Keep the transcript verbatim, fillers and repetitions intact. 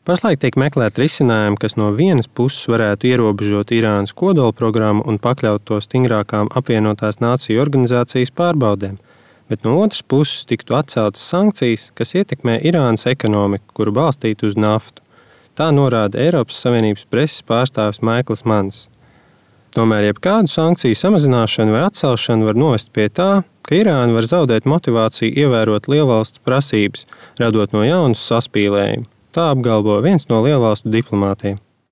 Pašlaik tiek meklēti risinājumi, kas no vienas puses varētu ierobežot Irānas kodolprogrammu un pakļaut to stingrākām apvienotās nāciju organizācijas pārbaudēm, bet no otras puses tiktu atceltas sankcijas, kas ietekmē Irānas ekonomiku, kuru balstītu uz naftu. Tā norāda Eiropas Savienības preses pārstāvis Maikls Mans. Tomēr jebkādu sankciju samazināšanu vai atcelšanu var novest pie tā, ka Irāna var zaudēt motivāciju ievērot lielvalsts prasības, radot no jaunas saspīlējumu. Tā apgalvo viens no lielvalstu diplomātiem.